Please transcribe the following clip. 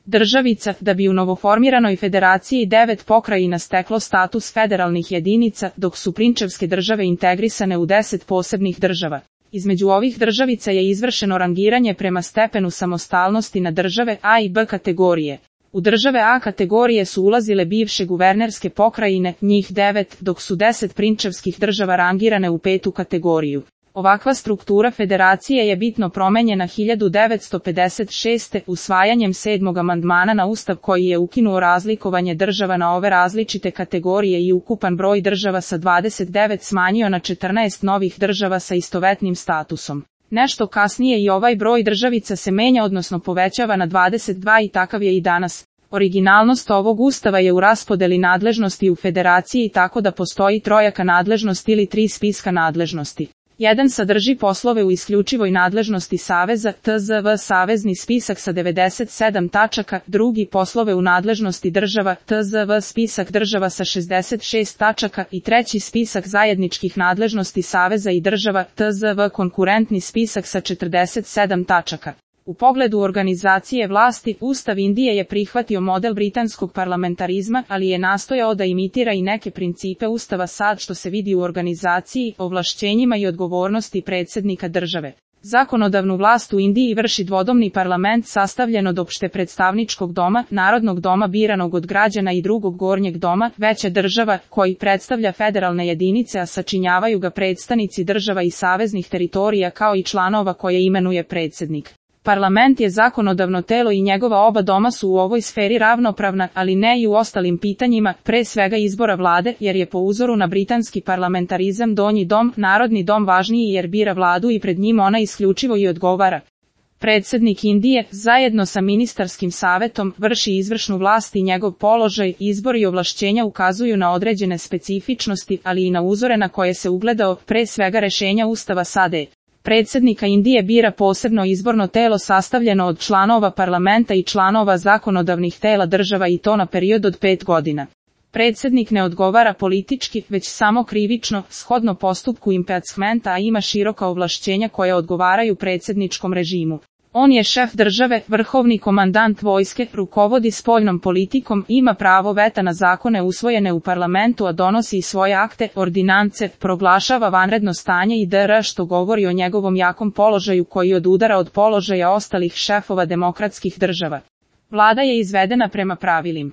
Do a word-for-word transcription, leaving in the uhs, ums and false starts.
državica, da bi u novoformiranoj federaciji devet pokrajina steklo status federalnih jedinica, dok su prinčevske države integrisane u deset posebnih država. Između ovih državica je izvršeno rangiranje prema stepenu samostalnosti na države A i B kategorije. U države A kategorije su ulazile bivše guvernerske pokrajine, njih devet, dok su deset prinčevskih država rangirane u petu kategoriju. Ovakva struktura federacije je bitno promenjena hiljadu devetsto pedeset šeste. usvajanjem sedmog amandmana na Ustav koji je ukinuo razlikovanje država na ove različite kategorije i ukupan broj država sa dvadeset devet smanjio na četrnaest novih država sa istovetnim statusom. Nešto kasnije i ovaj broj državica se menja odnosno povećava na dvadeset dva i takav je i danas. Originalnost ovog Ustava je u raspodeli nadležnosti u federaciji tako da postoji trojaka nadležnosti ili tri spiska nadležnosti. Jedan sadrži poslove u isključivoj nadležnosti Saveza, T Z V savezni spisak sa devedeset sedam tačaka, drugi poslove u nadležnosti država, T Z V spisak država sa šezdeset šest tačaka i treći spisak zajedničkih nadležnosti Saveza i država, T Z V konkurentni spisak sa četrdeset sedam tačaka. U pogledu organizacije vlasti, Ustav Indije je prihvatio model britanskog parlamentarizma, ali je nastojao da imitira i neke principe Ustava sad što se vidi u organizaciji, ovlašćenjima i odgovornosti predsjednika države. Zakonodavnu vlast u Indiji vrši dvodomni parlament sastavljen od opšte predstavničkog doma, narodnog doma biranog od građana i drugog gornjeg doma, veće država, koji predstavlja federalne jedinice a sačinjavaju ga predstavnici država i saveznih teritorija kao i članova koje imenuje predsjednik. Parlament je zakonodavno telo i njegova oba doma su u ovoj sferi ravnopravna, ali ne i u ostalim pitanjima, pre svega izbora vlade, jer je po uzoru na britanski parlamentarizam donji dom, narodni dom važniji jer bira vladu i pred njim ona isključivo i odgovara. Predsjednik Indije, zajedno sa ministarskim savetom, vrši izvršnu vlast i njegov položaj, izbor i ovlašćenja ukazuju na određene specifičnosti, ali i na uzore na koje se ugledao, pre svega rešenja Ustava S A D E. Predsjednika Indije bira posebno izborno telo sastavljeno od članova parlamenta i članova zakonodavnih tela država i to na period od pet godina. Predsjednik ne odgovara politički, već samo krivično, shodno postupku impeachmenta, a ima široka ovlašćenja koja odgovaraju predsjedničkom režimu. On je šef države, vrhovni komandant vojske, rukovodi spoljnom politikom, ima pravo veta na zakone usvojene u parlamentu a donosi i svoje akte, ordinance, proglašava vanredno stanje i dr. što govori o njegovom jakom položaju koji odudara od položaja ostalih šefova demokratskih država. Vlada je izvedena prema pravilima